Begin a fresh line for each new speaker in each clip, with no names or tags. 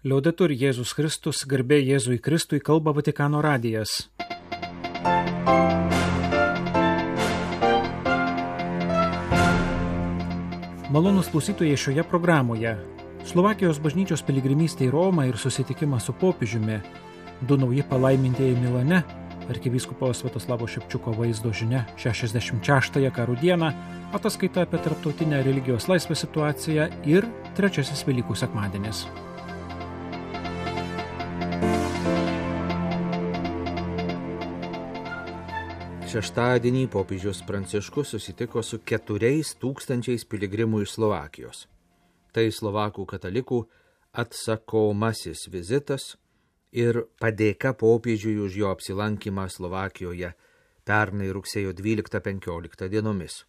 Liaudetur Jėzus Kristus, garbė Jėzui Kristui, kalba Vatikano radijas. Malonūs klausytojai, šioje programoje Slovakijos bažnyčios piligrimystė į Romą ir susitikimas su popiežiumi, 2 nauji palaimintieji Milane, arkivyskupo Sviatoslavo Šepčiuko vaizdo žinia 66-ąją karų dieną, ataskaita apie tarptautinę religijos laisvės situaciją ir 3 Velykų sekmadienis.
Šeštadienį popiežius Pranciškus susitiko su 4,000 piligrimų iš Slovakijos. Tai slovakų katalikų atsakomasis vizitas ir padėka popiežiui už jo apsilankymą Slovakijoje pernai rugsėjo 12-15 dienomis.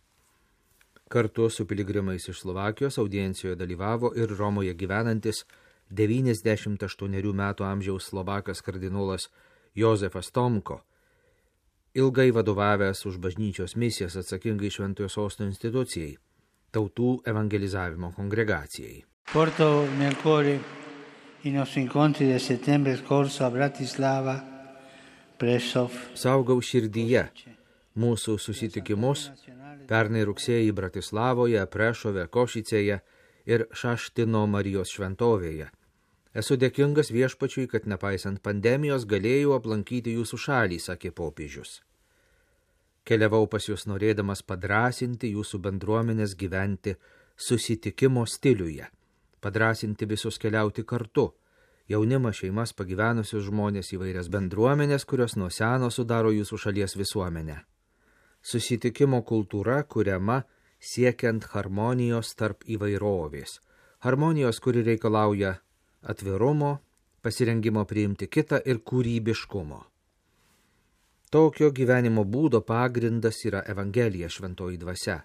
Kartu su piligrimais iš Slovakijos audiencijoje dalyvavo ir Romoje gyvenantis 98 metų amžiaus slovakas kardinolas Jozefas Tomko, ilgai vadovavęs už bažnyčios misijas atsakingai Šventojo Sosto institucijai, tautų evangelizavimo kongregacijai.
Porto nel cuore i nostri incontri del settembre scorso a Bratislava, Prešov.
Saugau širdyje mūsų susitikimus pernai rugsėjį Bratislavoje, Prešove, Košicėje ir Šaštino Marijos šventovėje. Esu dėkingas viešpačiui, kad nepaisant pandemijos galėjau aplankyti jūsų šalį, sakė popiežius. Keliavau pas jūs norėdamas padrąsinti jūsų bendruomenės gyventi susitikimo stiliuje, padrąsinti visus keliauti kartu, jaunimą, šeimas, pagyvenusius žmonės, įvairias bendruomenės, kurios nuo seno sudaro jūsų šalies visuomenę. Susitikimo kultūra kuriama siekiant harmonijos tarp įvairovės, harmonijos, kuri reikalauja atvirumo, pasirengimo priimti kitą ir kūrybiškumo. Tokio gyvenimo būdo pagrindas yra Evangelija, šventoji dvasia.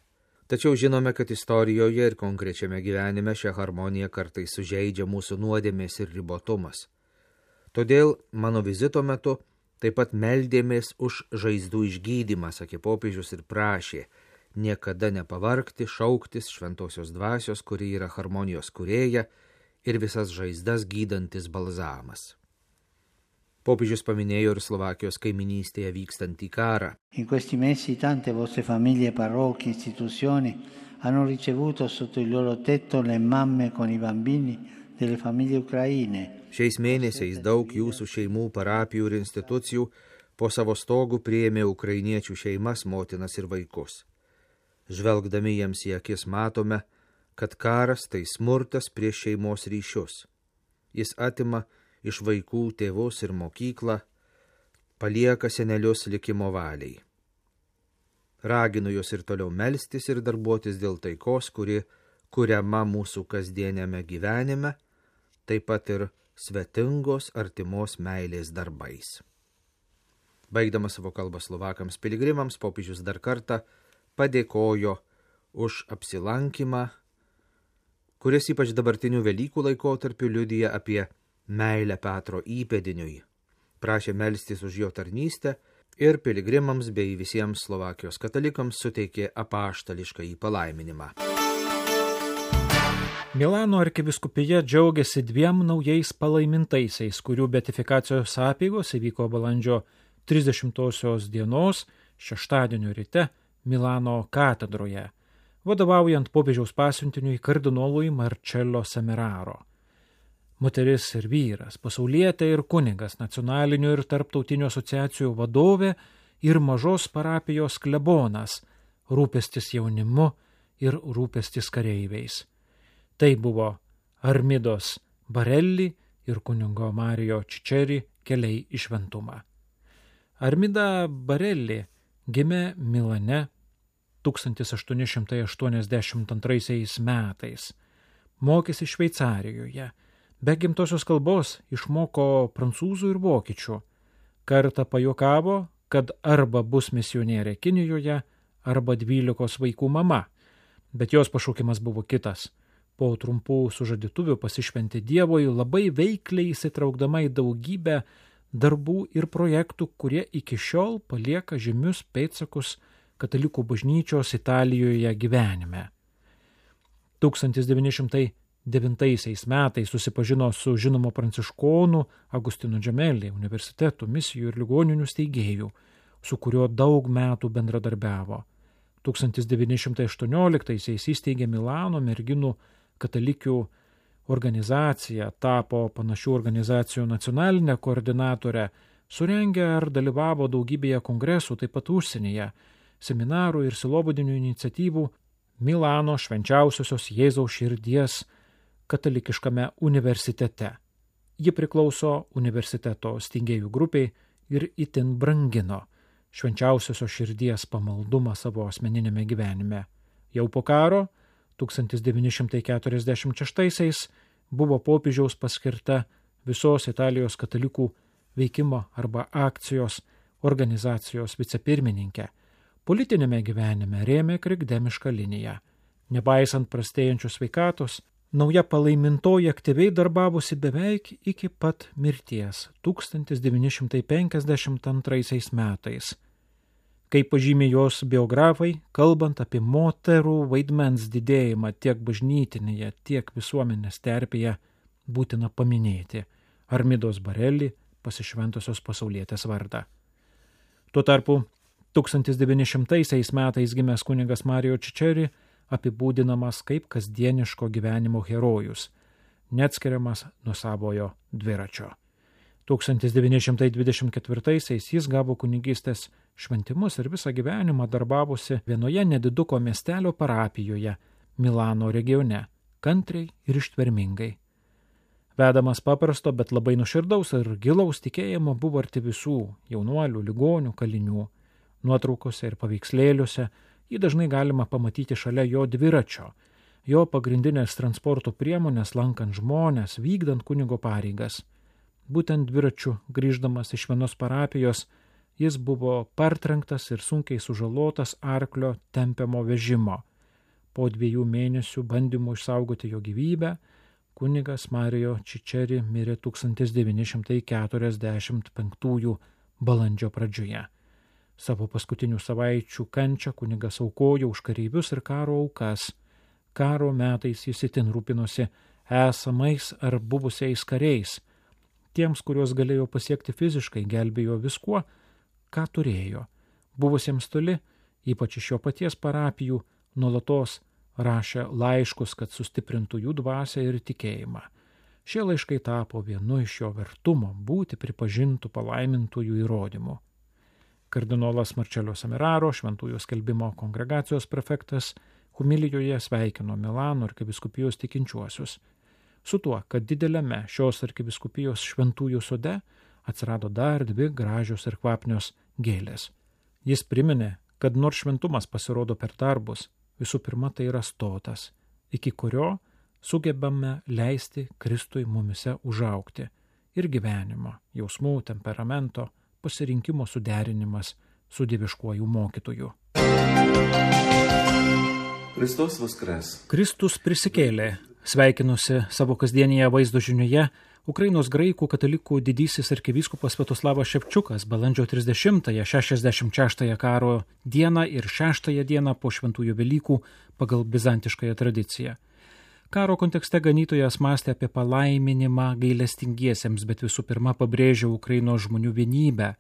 Tačiau žinome, kad istorijoje ir konkrečiame gyvenime šią harmoniją kartais sužeidžia mūsų nuodėmės ir ribotumas. Todėl mano vizito metu taip pat meldėmės už žaizdų išgydymą, sakė popiežius ir prašė niekada nepavargti, šauktis šventosios dvasios, kuri yra harmonijos kūrėja ir visas žaizdas gydantis balzamas. Popiežius paminėjo ir Slovakijos kaiminystėje vykstantį karą.
In questi mesi tante vostre famiglie, parrocchie, istituzioni hanno ricevuto sotto il loro tetto le mamme con i bambini delle famiglie ucraine.
Šiais mėnesiais daug jūsų šeimų, parapijų ir institucijų po savo stogų priėmė ukrainiečių šeimas, motinas ir vaikus. Žvelgdami jiems į akis matome, kad karas tai smurtas prieš šeimos ryšius. Jis atima iš vaikų tėvus ir mokyklą, palieka senelius likimo valiai. Raginu jūs ir toliau melstis ir darbuotis dėl taikos, kuri kuriama mūsų kasdieniame gyvenime, taip pat ir svetingos artimos meilės darbais. Baigdamas savo kalbą slovakams piligrimams, popiežius dar kartą padėkojo už apsilankymą, kuris ypač dabartinių Velykų laikotarpiu liudija apie meilę Petro įpėdiniui. Prašė melstis už jo tarnystę ir piligrimams bei visiems Slovakijos katalikams suteikė apaštališkąjį palaiminimą.
Milano arkivyskupija džiaugiasi 2 naujais palaimintaisiais, kurių beatifikacijos apeigos įvyko balandžio 30 dienos šeštadienio ryte Milano katedroje, vadovaujant popiežiaus pasiuntiniui kardinolui Marcello Semeraro. Moteris ir vyras, pasaulietė ir kunigas, nacionalinių ir tarptautinių asociacijų vadovė ir mažos parapijos klebonas, rūpestis jaunimu ir rūpestis kareiviais. Tai buvo Armidos Barelli ir kunigo Mario Čičeri keliai į šventumą. Armida Barelli gimė Milane 1882 metais, mokėsi Šveicarijoje. Be gimtosios kalbos išmoko prancūzų ir vokiečių. Kartą pajuokavo, kad arba bus misionierė Kinijoje, arba 12 vaikų mama. Bet jos pašaukimas buvo kitas. Po trumpų sužadėtuvių pasišventė Dievui, labai veikliai įsitraukdama į daugybę darbų ir projektų, kurie iki šiol palieka žymius pėdsakus katalikų bažnyčios Italijoje gyvenime. 1900 metais susipažino su žinomu pranciškonu Agustinu Džemelį, universitetų, misijų ir ligoninių steigėjų, su kuriuo daug metų bendradarbiavo. 1918-aisiais įsteigė Milano merginų katalikių organizaciją, tapo panašių organizacijų nacionalinę koordinatorę, surengė ar dalyvavo daugybėje kongresų, taip pat užsienyje, seminarų ir sielovadinių iniciatyvų Milano Švenčiausiosios Jėzaus širdies katalikiškame universitete. Ji priklauso universiteto steigėjų grupiai ir itin brangino Švenčiausiosios širdies pamaldumą savo asmeninėme gyvenime. Jau po karo 1946-aisiais buvo popiežiaus paskirta visos Italijos katalikų veikimo arba akcijos organizacijos vicepirmininkė. Politinėme gyvenime rėmė krikdemišką liniją. Nepaisant prastėjančios sveikatos, nauja palaimintoji aktyviai darbavosi beveik iki pat mirties 1952 metais. Kaip pažymė jos biografai, kalbant apie moterų vaidmens didėjimą tiek bažnytinėje, tiek visuomenės terpėje, būtina paminėti Armidos Barelį, pasišventusios pasaulietės vardą. Tuo tarpu 1900 metais gimęs kunigas Mario Čičeri apibūdinamas kaip kasdieniško gyvenimo herojus, neatskiriamas nuo savojo dviračio. 1924-aisiais jis gavo kunigystės šventimus ir visą gyvenimą darbavosi vienoje nediduko miestelio parapijoje Milano regione, kantriai ir ištvermingai. Vedamas paprasto, bet labai nuoširdaus ir gilaus tikėjimo buvo arti visų jaunuolių, ligonių, kalinių. Nuotraukose ir paveikslėliuose jį dažnai galima pamatyti šalia jo dviračio, jo pagrindinės transporto priemonės lankant žmonės, vykdant kunigo pareigas. Būtent dviračiu grįždamas iš vienos parapijos, jis buvo partrenktas ir sunkiai sužalotas arklio tempiamo vežimo. Po 2 mėnesių bandymų išsaugoti jo gyvybę, kunigas Mario Čičeri mirė 1945 balandžio pradžioje. Savo paskutinių savaičių kančią kunigas aukojo už kareivius ir karo aukas. Karo metais jis itin rūpinosi esamais ar buvusiais kariais. Tiems, kuriuos galėjo pasiekti fiziškai, gelbėjo viskuo, ką turėjo. Buvusiems toli, ypač iš jo paties parapijų, nuolatos rašė laiškus, kad sustiprintų jų dvasią ir tikėjimą. Šie laiškai tapo vienu iš jo vertumo būti pripažintų palaimintųjų įrodymų. Kardinolas Marcello Semeraro, Šventųjų skelbimo kongregacijos prefektas, homilijoje sveikino Milano arkivyskupijos tikinčiuosius su tuo, kad dideliame šios arkivyskupijos šventųjų sode atsirado dar 2 gražios ir kvapnios gėlės. Jis priminė, kad nors šventumas pasirodo per darbus, visų pirma tai yra stotas, iki kurio sugebame leisti Kristui mumise užaugti ir gyvenimo, jausmų, temperamento, pasirinkimo suderinimas su dieviškuoju mokytoju.
Kristus Voskres.
Kristus prisikėlė. Sveikinusi savo kasdienėje vaizdo žinioje Ukrainos graikų katalikų didysis arkivyskupas Sviatoslavas Ševčiukas balandžio 30-ąją 66-ąją karo dieną ir 6-ąją dieną po šventųjų Velykų pagal bizantiškąją tradiciją. Karo kontekste ganytojas mąstė apie palaiminimą gailestingiesiems, bet visų pirma pabrėžė Ukrainos žmonių vienybę.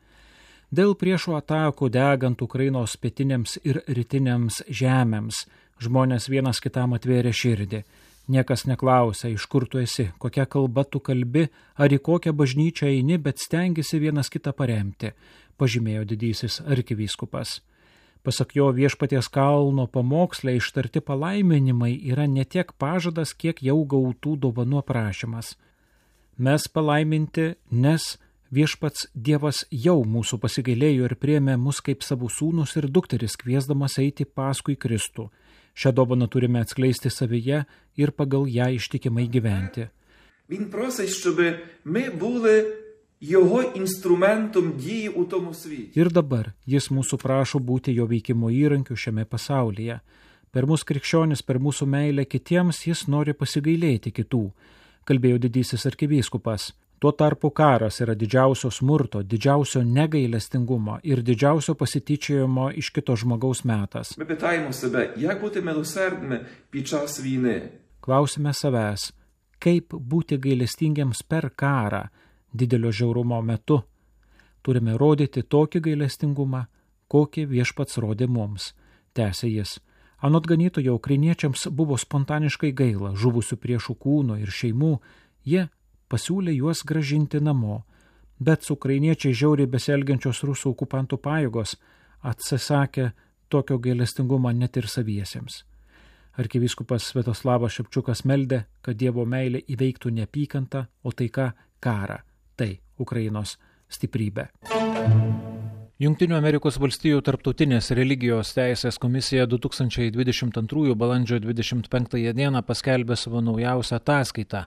Dėl priešų atakų degant Ukrainos pietinėms ir rytinėms žemėms žmonės vienas kitam atvėrė širdį. Niekas neklausia, iš kur tu esi, kokia kalba tu kalbi, ar į kokią bažnyčią eini, bet stengiasi vienas kitą paremti, pažymėjo didysis arkivyskupas. Pasak jo, Viešpaties kalno pamoksle ištarti palaiminimai yra ne tiek pažadas, kiek jau gautų dovanų aprašymas. Mes palaiminti, nes Viešpats Dievas jau mūsų pasigailėjo ir priėmė mus kaip savo sūnus ir dukteris, kviesdamas eiti paskui Kristų. Šią dovaną turime atskleisti savyje ir pagal ją ištikimai gyventi.
Він просить, щоб ми були його інструментом дії у тому світі.
Ir dabar jis mūsų prašo būti jo veikimo įrankiu šiame pasaulyje. Per mūsų krikščionis, per mūsų meilę kitiems jis nori pasigailėti kitų, kalbėjo didysis arkivyskupas. Tuo tarpu karas yra didžiausio smurto, didžiausio negailestingumo ir didžiausio pasityčiojimo iš kito žmogaus metas.
Ми питаємо себе, як бути милосердними під час війни?
klausime savęs, kaip būti gailestingiams per karą didelio žiaurumo metu. Turime rodyti tokį gailestingumą, kokį viešpats rodė mums, tęsė jis. Anot ganytojo, ukrainiečiams buvo spontaniškai gaila žuvusių priešų kūno ir šeimų, jie pasiūlė juos gražinti namo, bet su ukrainiečiai žiauriai besielgiančios rusų okupantų pajėgos atsisakė tokio gailestingumo net ir saviesiems. Arkivyskupas Sviatoslavas Šepčiukas meldė, kad Dievo meilė įveiktų neapykantą, o taika karą. Tai Ukrainos stiprybė. Jungtinių Amerikos valstijų tarptautinės religijos teisės komisija 2022 balandžio 25 dieną paskelbė savo naujausią ataskaitą,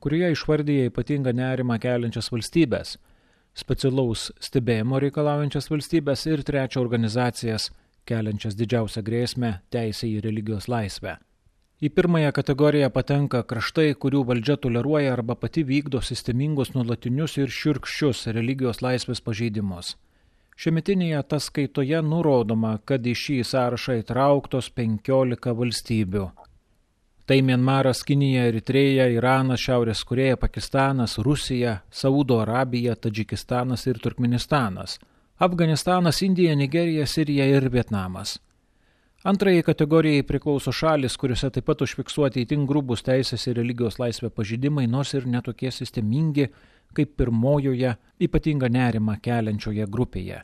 kurioje išvardyja ypatingą nerimą keliančias valstybės, specialaus stebėjimo reikalaujančias valstybės ir trečią organizacijas, keliančias didžiausią grėsmę teisę į religijos laisvę. Į pirmąją kategoriją patenka kraštai, kurių valdžia toleruoja arba pati vykdo sistemingus nuolatinius ir šiurkščius religijos laisvės pažeidimus. Šiemetinėje ataskaitoje nurodoma, kad į šį sąrašą įtrauktos 15 valstybių. Tai Mianmaras, Kinija, Eritreja, Iranas, Šiaurės Korėja, Pakistanas, Rusija, Saudo Arabija, Tadžikistanas ir Turkmenistanas, Afganistanas, Indija, Nigerija, Sirija ir Vietnamas. Antrajai kategorijai priklauso šalis, kuriuose taip pat užfiksuoti itin grubus teisės ir religijos laisvę pažeidimai, nors ir netokie sistemingi, kaip pirmojoje ypatingą nerimą keliančioje grupėje.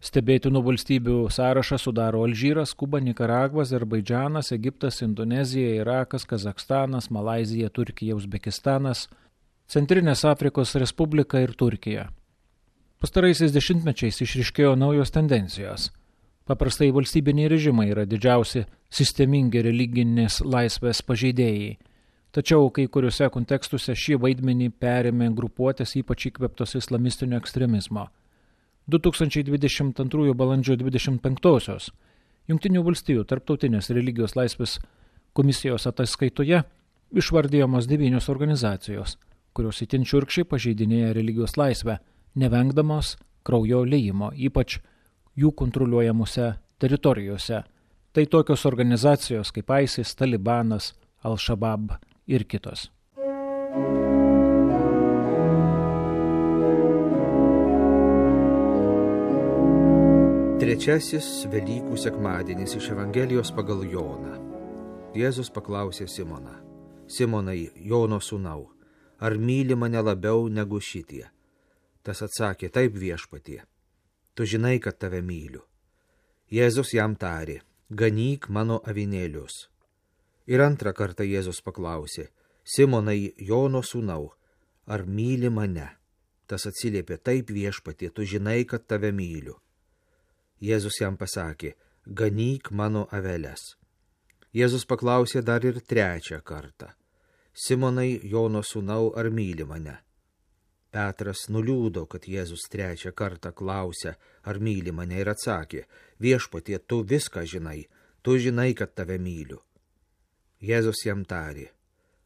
Stebėtinų valstybių sąrašą sudaro Alžyras, Kuba, Nikaragva, Azerbaidžanas, Egiptas, Indonezija, Irakas, Kazachstanas, Malaizija, Turkija, Uzbekistanas, Centrinės Afrikos Respublika ir Turkija. Pastaraisiais dešimtmečiais išryškėjo naujos tendencijos. Paprastai valstybiniai režimai yra didžiausi sistemingi religinės laisvės pažeidėjai. Tačiau kai kuriuose kontekstuose šį vaidmenį perėmė grupuotės ypač įkvėptos islamistinio ekstremizmo. 2022 balandžio 25-osios Jungtinių valstijų tarptautinės religijos laisvės komisijos ataskaitoje išvardijamos 9 organizacijos, kurios itin šiurkščiai pažeidinėja religijos laisvę, nevengdamos kraujo liejimo, ypač jų kontroliuojamuose teritorijose. Tai tokios organizacijos kaip ISIS, Talibanas, Al-Shabaab ir kitos.
Trečiasis Velykų sekmadienis iš Evangelijos pagal Joną. Jėzus paklausė Simoną: Simonai, Jono sūnau, ar myli mane labiau negu šitie? Tas atsakė: Taip, viešpatie, tu žinai, kad tave myliu. Jėzus jam tarė: Ganyk mano avinėlius. Ir antrą kartą Jėzus paklausė: Simonai, Jono sūnau, ar myli mane? Tas atsiliepė: Taip, viešpatie, tu žinai, kad tave myliu. Jėzus jam pasakė: Ganyk mano aveles. Jėzus paklausė dar ir trečią kartą: Simonai, Jono sūnau, ar myli mane? Petras nuliūdo, kad Jėzus trečią kartą klausė, ar myli mane, ir atsakė: Viešpatie, tu viską žinai, tu žinai, kad tave myliu. Jėzus jam tarė: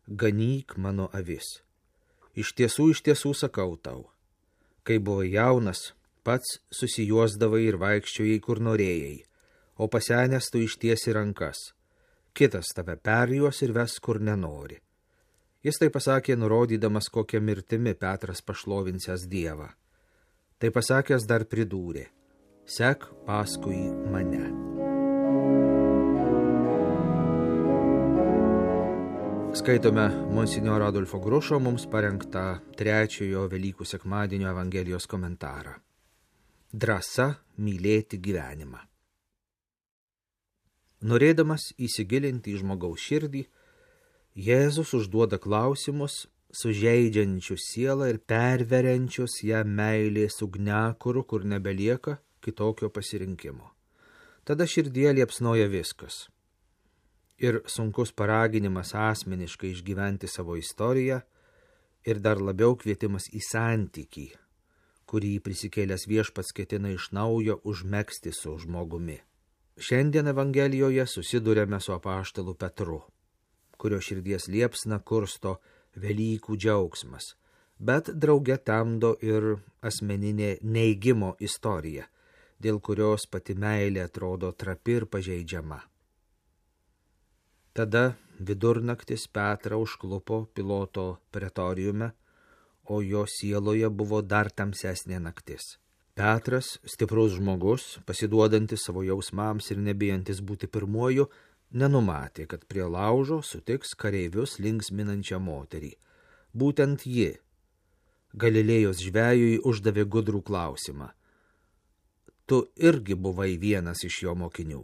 Ganyk mano avis. Iš tiesų sakau tau, kai buvai jaunas, pats susijuosdavai ir vaikščiojai, kur norėjai, o pasenęs tu ištiesi rankas. Kitas tave perjuos ir ves, kur nenori. Jis tai pasakė, nurodydamas, kokią mirtimi Petras pašlovinsęs Dievą. Tai pasakęs dar pridūrė: Sek paskui mane. Skaitome monsinjoro Adolfo Grušo mums parengtą trečiojo Velykų sekmadienio Evangelijos komentarą. Drąsa mylėti gyvenimą. Norėdamas įsigilinti į žmogaus širdį, Jėzus užduoda klausimus, sužeidžiančius sielą ir perveriančius ją meilės ugniakuru, kur nebelieka kitokio pasirinkimo. Tada širdie liepsnoja viskas. Ir sunkus paraginimas asmeniškai išgyventi savo istoriją, ir dar labiau kvietimas į santykį, kurį prisikėlęs viešpats ketina iš naujo užmegzti su žmogumi. Šiandien Evangelijoje susidurėme su apaštalu Petru, kurio širdies liepsna kursto Velykų džiaugsmas, bet drauge temdo ir asmeninė neigimo istorija, dėl kurios pati meilė atrodo trapi ir pažeidžiama. Tada vidurnaktis Petrą užklupo Piloto pretoriume, o jo sieloje buvo dar tamsesnė naktis. Petras, stiprus žmogus, pasiduodantis savo jausmams ir nebijantis būti pirmuoju, nenumatė, kad prie laužo sutiks kareivius linksminančią moterį. Būtent ji, Galilėjos žvejui, uždavė gudrų klausimą. Tu irgi buvai vienas iš jo mokinių.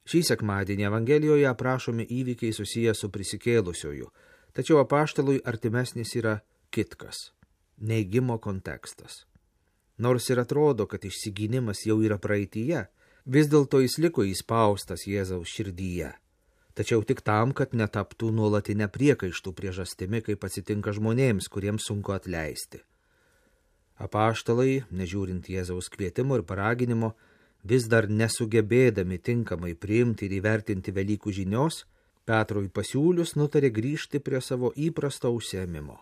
Šį sekmadienį Evangelijoje aprašomi įvykiai susiję su prisikėlusiuoju, tačiau apaštalui artimesnis yra kitkas – neigimo kontekstas. Nors ir atrodo, kad išsigynimas jau yra praeityje, vis dėlto jis liko įspaustas Jėzaus širdyje, tačiau tik tam, kad netaptų nuolatinę priekaištų priežastimi, kaip atsitinka žmonėms, kuriems sunku atleisti. Apaštalai, nežiūrint Jėzaus kvietimo ir paraginimo, vis dar nesugebėdami tinkamai priimti ir įvertinti Velykų žinios, Petrui pasiūlius nutarė grįžti prie savo įprasto užsiėmimo.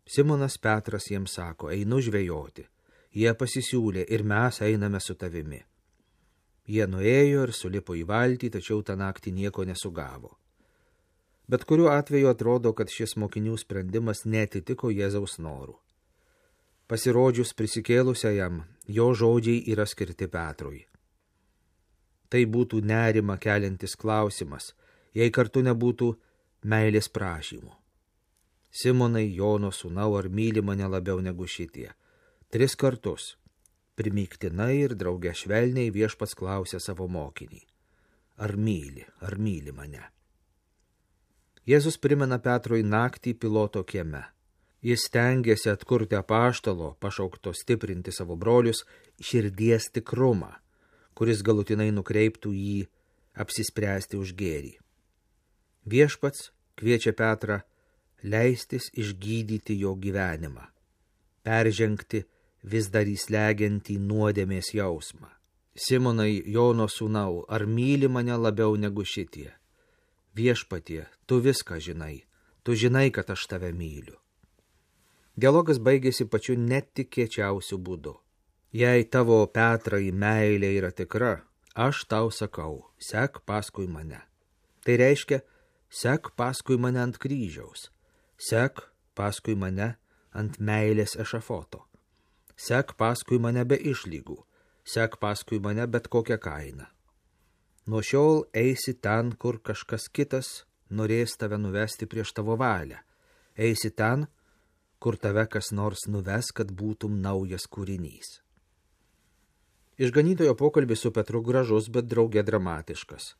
Simonas Petras jiems sako, einu žvejoti. Jie pasisiūlė ir mes einame su tavimi. Jie nuėjo ir sulipo į valtį, tačiau tą naktį nieko nesugavo. Bet kuriuo atveju atrodo, kad šis mokinių sprendimas neatitiko Jėzaus norų. Pasirodžius prisikėlusiajam, jo žodžiai yra skirti Petrui. Tai būtų nerimą keliantis klausimas, jei kartu nebūtų meilės prašymų. Simonai, Jono sūnau, ar myli mane labiau negu šitie? 3 kartus, primygtinai ir drauge švelniai viešpats klausė savo mokinį. Ar myli mane? Jėzus primena Petrui naktį Piloto kieme. Jis stengiasi atkurti apaštalo, pašaukto stiprinti savo brolius, širdies tikrumą, kuris galutinai nukreiptų jį apsispręsti už gėrį. Viešpats kviečia Petrą leistis išgydyti jo gyvenimą, peržengti vis dar įslegiantį nuodėmės jausmą. Simonai, Jono sūnau, ar myli mane labiau negu šitie? Viešpatie, tu viską žinai, tu žinai, kad aš tave myliu. Dialogas baigėsi pačiu netikėčiausiu būdu. Jei tavo, Petrai, meilė yra tikra, aš tau sakau, sek paskui mane. Tai reiškia, sek paskui mane ant kryžiaus, sek paskui mane ant meilės ešafoto, sek paskui mane be išlygų, sek paskui mane bet kokią kainą. Nuo šiol eisi ten, kur kažkas kitas norės tave nuvesti prieš tavo valią, eisi ten, kur tave kas nors nuves, kad būtum naujas kūrinys. Išganytojo pokalbis su Petru gražus, bet drauge dramatiškas.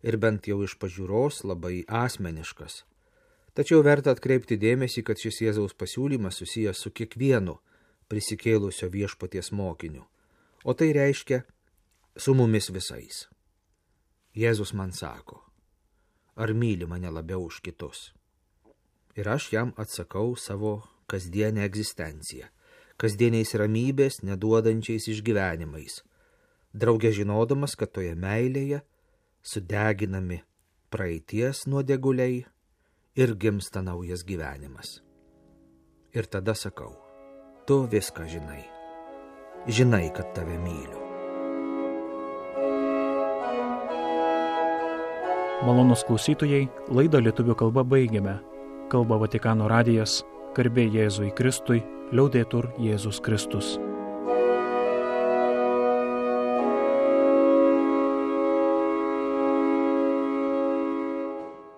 Ir bent jau iš pažiūros labai asmeniškas. Tačiau verta atkreipti dėmesį, kad šis Jėzaus pasiūlymas susijęs su kiekvienu prisikėlusio viešpaties mokiniu. O tai reiškia su mumis visais. Jėzus man sako, ar myli mane labiau už kitus? Ir aš jam atsakau savo kasdienę egzistenciją, kasdieniais ramybės neduodančiais išgyvenimais, drauge žinodamas, kad toje meilėje sudeginami praeities nuodėguliai ir gimsta naujas gyvenimas. Ir tada sakau, tu viską žinai, žinai, kad tave myliu.
Malonūs klausytojai, laidą lietuvių kalba baigiame. Kalba Vatikano radijas, garbė Jėzui Kristui, liaudetur Jėzus Kristus.